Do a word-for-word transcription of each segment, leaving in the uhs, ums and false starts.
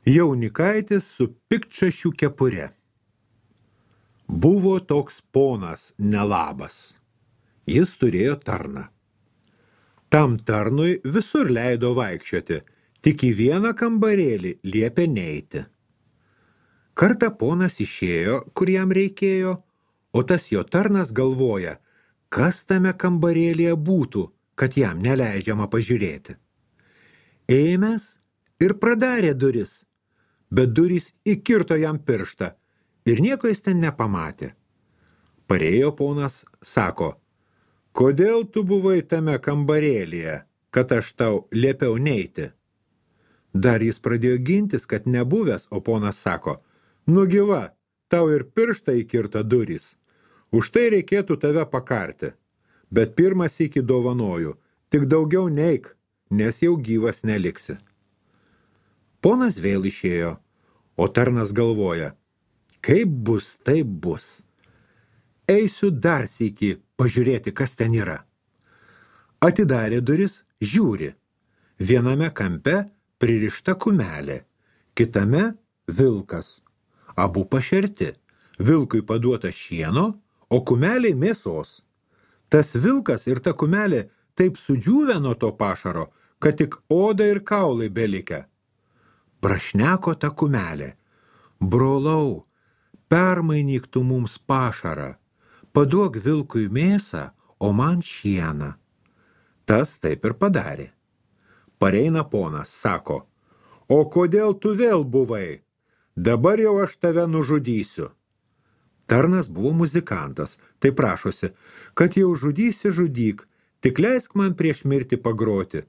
Jaunikaitis su piktšašių kepure. Buvo toks ponas nelabas. Jis turėjo tarną. Tam tarnui visur leido vaikščioti, tik į vieną kambarėlį liepė neiti. Kartą ponas išėjo, kur jam reikėjo, o tas jo tarnas galvoja, kas tame kambarėlyje būtų, kad jam neleidžiama pažiūrėti. Ėmęs ir pradarė duris, bet durys įkirto jam pirštą ir nieko jis ten nepamatė. Parėjo ponas, sako, kodėl tu buvai tame kambarėlyje, kad aš tau liepiau neiti? Dar jis pradėjo gintis, kad nebuvęs, o ponas sako, nugi va, tau ir pirštą įkirto durys. Už tai reikėtų tave pakarti, bet pirmas iki dovanoju, tik daugiau neik, nes jau gyvas neliksi. Ponas vėl išėjo, o tarnas galvoja, kaip bus, taip bus. Eisiu dar sykį pažiūrėti, kas ten yra. Atidarė duris, žiūri. Viename kampe pririšta kumelė, kitame vilkas. Abu pašerti. Vilkui paduota šieno, o kumeliai mėsos. Tas vilkas ir ta kumelė taip sudžiūvę nuo to pašaro, kad tik oda ir kaulai belikę. Prašneko ta kumelė. Brolau, permainyk tu mums pašarą. Paduok vilkui mėsą, o man šieną. Tas taip ir padarė. Pareina ponas, sako, o kodėl tu vėl buvai? Dabar jau aš tave nužudysiu. Tarnas buvo muzikantas, tai prašosi, kad jau žudysi žudyk, tik leisk man prieš mirtį pagroti,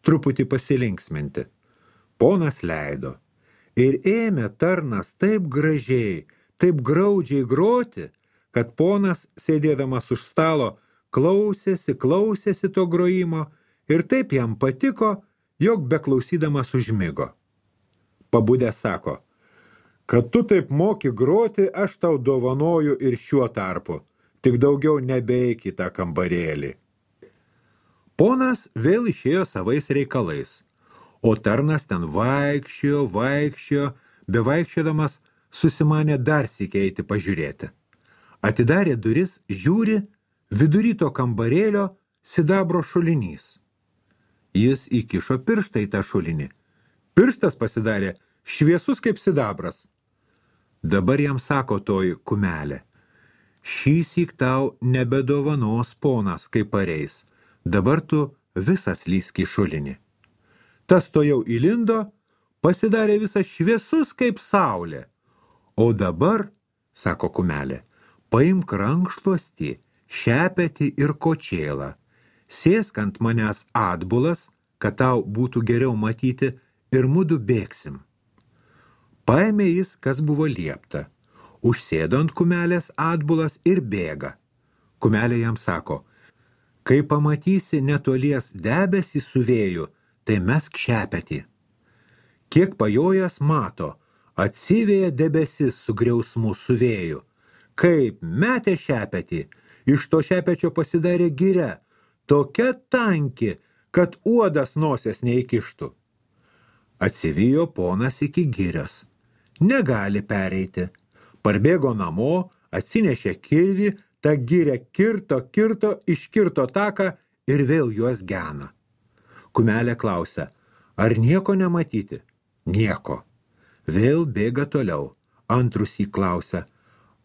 truputį pasilinksminti. Ponas leido. Ir ėmė tarnas taip gražiai, taip graudžiai groti, kad ponas, sėdėdamas už stalo, klausėsi, klausėsi to grojimo ir taip jam patiko, jog beklausydamas užmigo. Pabudęs sako, kad tu taip moki groti, aš tau dovanoju ir šiuo tarpu, tik daugiau nebeik į tą kambarėlį. Ponas vėl išėjo savais reikalais, o tarnas ten vaikščiojo, vaikščiojo, bevaikščiodamas susimanė dar sykį eiti pažiūrėti. Atidarė duris, žiūri, vidury to kambarėlio sidabro šulinys. Jis įkišo pirštą į tą šulinį. Pirštas pasidarė šviesus kaip sidabras. Dabar jam sako toji kumelė, šįsyk tau nebedovanos ponas, kaip pareis, dabar tu visas lysk į šulinį. Tas to jau įlindo, pasidarė visas šviesus kaip saulė. O dabar, sako kumelė, paimk rankšluostį, šepetį ir kočėlą, sėsk ant manęs atbulas, kad tau būtų geriau matyti ir mudu bėgsim. Paėmė jis, kas buvo liepta, užsėdo ant kumelės atbulas ir bėga. Kumelė jam sako, kai pamatysi netolies debesį su vėju, tai mesk šepetį. Kiek pajojęs mato, atsivėja debesis su griausmu su vėju. Kaip metė šepetį, iš to šepečio pasidarė giria, tokia tanki, kad uodas nosies neįkištų. Atsivijo ponas iki girios. Negali pereiti. Parbėgo namo, atsinešė kirvį, tą girę kirto, kirto, iškirto taką ir vėl juos gena. Kumelė klausia, ar nieko nematyti? Nieko. Vėl bėga toliau. Antrus jį klausia,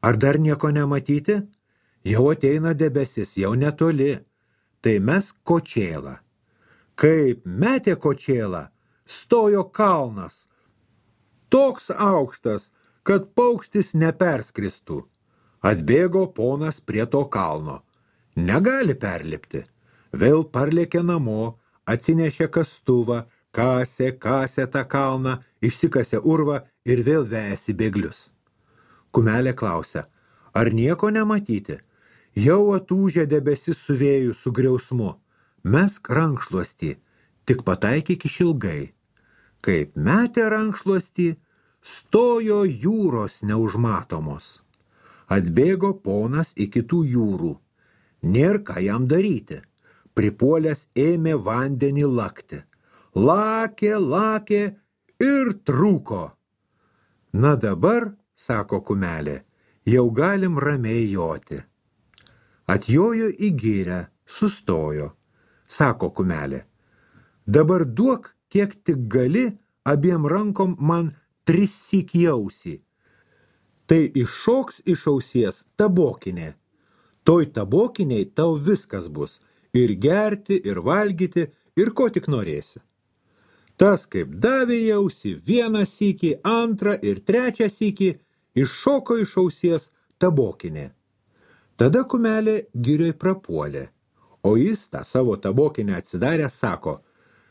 ar dar nieko nematyti? Jau ateina debesis, jau netoli. Tai mesk kočėlą. Kaip metė kočėlą, stojo kalnas. Toks aukštas, kad paukštis neperskristų. Atbėgo ponas prie to kalno. Negali perlipti. Vėl parlėkė namo, atsinešė kastuvą, kasė, kasė tą kalną, išsikasė urvą ir vėl vejasi bėglius. Kumelė klausia, ar nieko nematyti? Jau atūžė debesis su vėju su griausmu. Mesk rankšluostį, tik pataikyk išilgai. Kaip metė rankšluostį, stojo jūros neužmatomos. Atbėgo ponas iki tų jūrų. Nėr ką jam daryti. Pripuolęs ėmė vandenį lakti. Lakė, lakė ir trūko. Na dabar, sako kumelė, jau galim ramiai joti. Atjojo į girią, sustojo. Sako kumelė, dabar duok, kiek tik gali, abiem rankom man trissyk į ausį. Tai iššoks iš ausies tabokinė. Toj tabokiniai tau viskas bus, ir gerti, ir valgyti, ir ko tik norėsi. Tas, kaip davė į ausį vieną sykį, antrą ir trečią sykį, iššoko iš ausies tabokinė. Tada kumelė girioj prapuolė, o jis tą savo tabokinę atsidarę sako,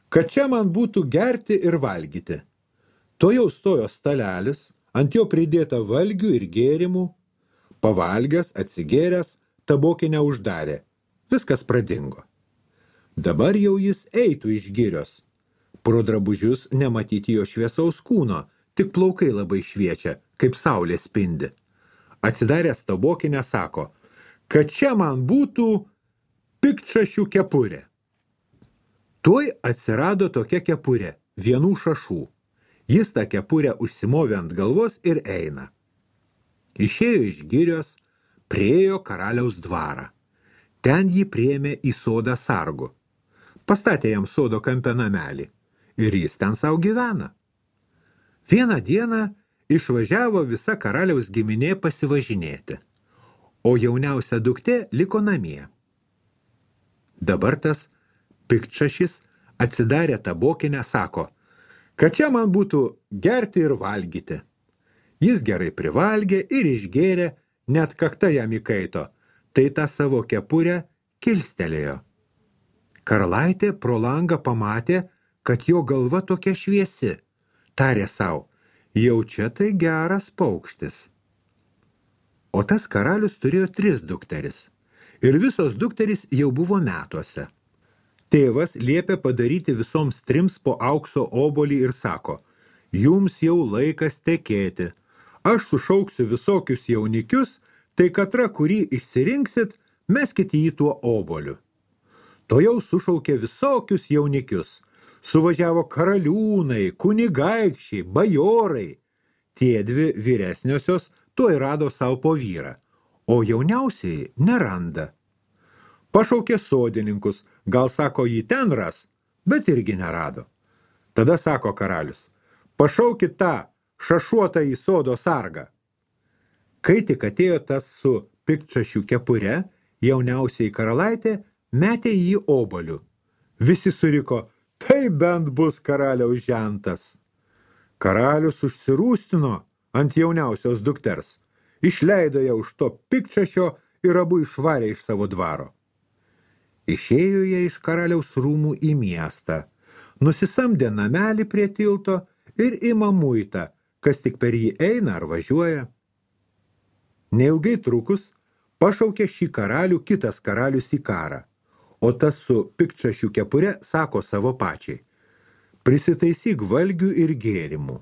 kad čia man būtų gerti ir valgyti. To jau stojo stalelis, ant jo pridėta valgių ir gėrimų, pavalgęs, atsigėręs, tabokinę uždarė. Viskas pradingo. Dabar jau jis eitų iš girios. Pro drabužius nematyti jo šviesaus kūno, tik plaukai labai šviečia, kaip saulė spindi. Atsidaręs tabokinę sako, kad čia man būtų piktšašių kepurė. Tuoj atsirado tokia kepurė, vienų šašų. Jis tą kepurę užsimovė ant galvos ir eina. Išėjo iš girios, priėjo karaliaus dvarą. Ten jį priėmė į sodą sargu. Pastatė jam sodo kampe namelį ir jis ten savo gyvena. Vieną dieną išvažiavo visa karaliaus giminė pasivažinėti, o jauniausia duktė liko namie. Dabar tas piktšašis atsidarė tabokinę, sako, kad čia man būtų gerti ir valgyti. Jis gerai privalgė ir išgėrė, net kakta jam įkaito, tai tą savo kepurę kilstelėjo. Karalaitė pro langą pamatė, kad jo galva tokia šviesi. Tarė sau, jau čia tai geras paukštis. O tas karalius turėjo tris dukteris. Ir visos dukterys jau buvo metuose. Tėvas liepė padaryti visoms trims po aukso obolį ir sako, jums jau laikas tekėti. Aš sušauksiu visokius jaunikius, tai katra, kurį išsirinksit, meskite jį tuo oboliu. To jau sušaukė visokius jaunikius. Suvažiavo karaliūnai, kunigaikščiai, bajorai. Tie dvi vyresniosios tuoj rado savo po vyrą, o jauniausiai neranda. Pašaukė sodininkus, gal sako jį ten ras, bet irgi nerado. Tada sako karalius, pašaukit tą šašuotą į sodo sargą. Kai tik atėjo tas su piktšašių kepure, jauniausiai karalaitė metė jį oboliu. Visi suriko, tai bent bus karaliaus žentas. Karalius užsirūstino ant jauniausios dukters, išleido ją už to piktšašio ir abu išvarė iš savo dvaro. Išėjo jie iš karaliaus rūmų į miestą, nusisamdė namelį prie tilto ir ima muitą, kas tik per jį eina ar važiuoja. Neilgai trukus pašaukė šį karalių kitas karalius į karą, o tas su piktšašių kepure sako savo pačiai, prisitaisyk valgių ir gėrimų,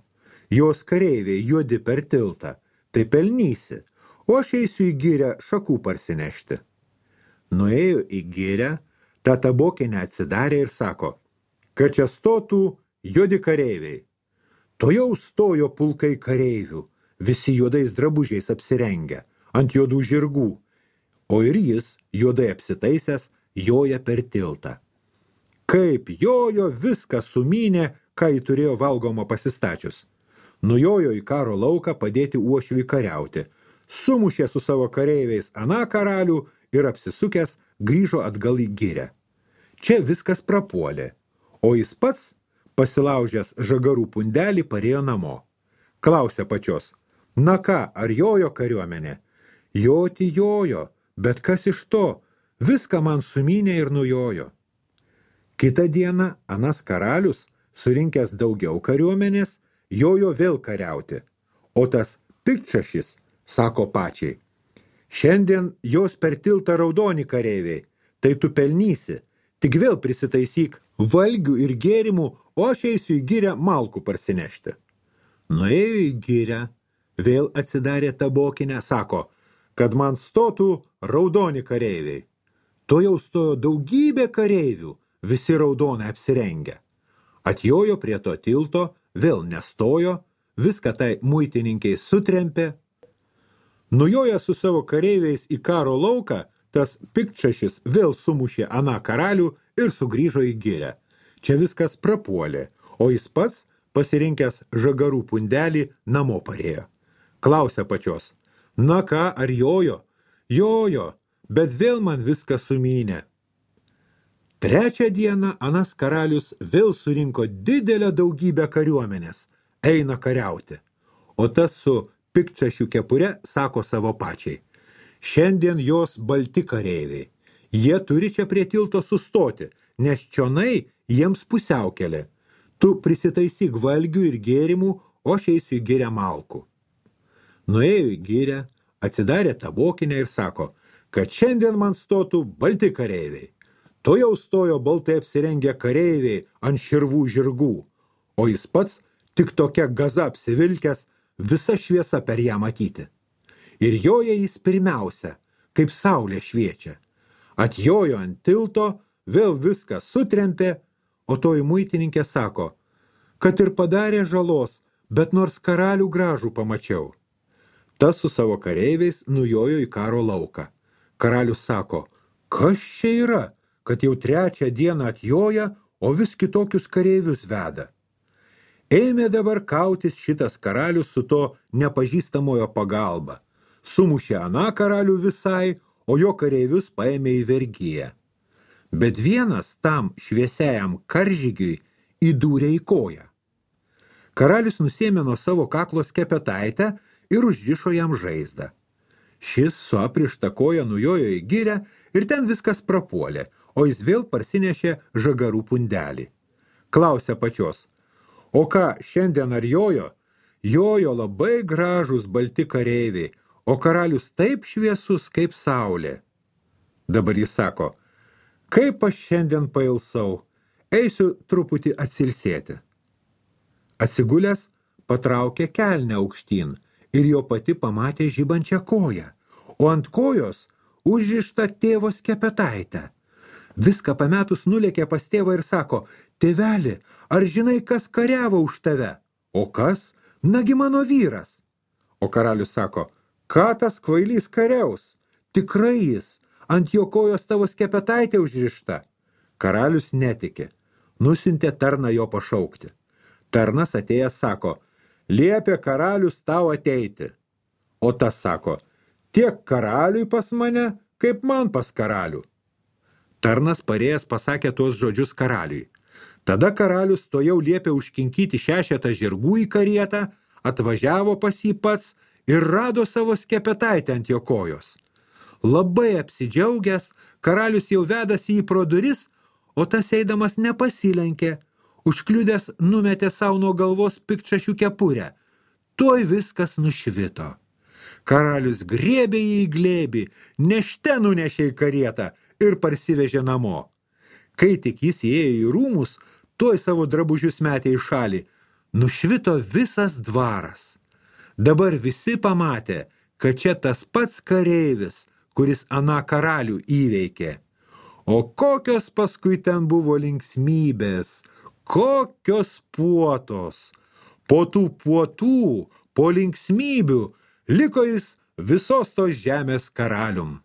jos kareiviai juodi per tiltą, tai pelnysi, o aš eisiu į girią šakų parsinešti. Nuėjo į girią, tą tabokinę atsidarė ir sako, kad čia stotų juodi kareiviai. To jau stojo pulkai kareivių, visi juodais drabužiais apsirengę, ant juodų žirgų, o ir jis, juodai apsitaisęs, joja per tiltą. Kaip jojo, viską sumynė, ką jį turėjo valgoma pasistačius. Nujojo į karo lauką padėti uošviui kariauti, sumušė su savo kareiviais aną karalių ir apsisukęs grįžo atgal į girę. Čia viskas prapuolė, o jis pats, pasilaužęs žagarų pundelį, parėjo namo. Klausė pačios, na ką, ar jojo kariuomenė? Joti jojo, bet kas iš to? Viską man sumynė ir nujojo. Kitą dieną anas karalius, surinkęs daugiau kariuomenės, jojo vėl kariauti, o tas piktšašis sako pačiai, šiandien jos per tiltą raudoni kareiviai, tai tu pelnysi, tik vėl prisitaisyk valgių ir gėrimų, o aš eisiu į girę malkų parsinešti. Nuėjo į girę, vėl atsidarė tabokinę, sako, kad man stotų raudoni kareiviai. To jau stojo daugybė kareivių, visi raudonai apsirengę. Atjojo prie to tilto, vėl nestojo, viską tai muitininkiai sutrempė. Nujoja su savo kareiviais į karo lauką, tas piktšašis vėl sumušė aną karalių ir sugrįžo į girią. Čia viskas prapuolė, o jis pats, pasirinkęs žagarų pundelį, namo parėjo. Klausia pačios, na ką, ar jojo? Jojo, bet vėl man viskas sumynė. Trečią dieną anas karalius vėl surinko didelę daugybę kariuomenės, eina kariauti. O tas su piktšašių kepure sako savo pačiai, šiandien jos balti kareiviai, jie turi čia prie tilto sustoti, nes čionai jiems pusiaukelė. Tu prisitaisyk valgių ir gėrimų, o aš eisiu į girę malkų. Nuėjo į girę, atsidarė tabokinę ir sako, kad šiandien man stotų balti kareiviai. To jau stojo baltai apsirengę kareiviai ant širvų žirgų, o jis pats tik tokia gaza apsivilkęs, visa šviesa per ją matyti. Ir joja jis pirmiausia, kaip saulė šviečia. Atjojo ant tilto, vėl viską sutrempė, o toji muitininkė sako, kad ir padarė žalos, bet nors karalių gražų pamačiau. Tas su savo kareiviais nujojo į karo lauką. Karalius sako, kas čia yra, kad jau trečią dieną atjoja, o vis kitokius kareivius veda. Ėmė dabar kautis šitas karalius su to nepažįstamojo pagalba. Sumušė aną karalių visai, o jo kareivius paėmė į vergiją. Bet vienas tam šviesiajam karžygiui įdūrė į koją. Karalius nusėmė nuo savo kaklo skepetaitę ir užrišo jam žaizdą. Šis su aprišta koja nujojo į girę ir ten viskas prapuolė, o jis vėl parsinešė žagarų pundelį. Klausia pačios, o ką, šiandien ar jojo? Jojo labai gražūs balti kareiviai, o karalius taip šviesus kaip saulė. Dabar jis sako, kaip aš šiandien pailsau, eisiu truputį atsilsėti. Atsigulęs patraukė kelnę aukštyn ir jo pati pamatė žibančią koją, o ant kojos užrištą tėvo skepetaitę. Viską pametus nulėkė pas tėvą ir sako, tėveli, ar žinai, kas kariavo už tave? O kas? Nagi mano vyras. O karalius sako, ką tas kvailys kariaus? Tikrai jis, ant jo kojos tavo skepetaitė užrišta. Karalius netiki, nusiuntė tarną jo pašaukti. Tarnas atėjęs sako, liepė karalius tau ateiti. O tas sako, tiek karaliui pas mane, kaip man pas karalių. Tarnas parėjęs pasakė tuos žodžius karaliui. Tada karalius to jau liepė užkinkyti šešetą žirgų į karietą, atvažiavo pas jį pats ir rado savo skepetaitę ant jo kojos. Labai apsidžiaugęs, karalius jau vedasi jį pro duris, o tas eidamas nepasilenkė, užkliudęs numetė savo nuo galvos piktšašių kepurę. Tuoj viskas nušvito. Karalius griebė jį į glėbį, nešte nunešė į karietą ir parsivežė namo. Kai tik jis įėjo į rūmus, tuoj savo drabužius metė į šalį. Nušvito visas dvaras. Dabar visi pamatė, kad čia tas pats kareivis, kuris aną karalių įveikė. O kokios paskui ten buvo linksmybės, kokios puotos. Po tų puotų, po linksmybių, liko jis visos tos žemės karalium.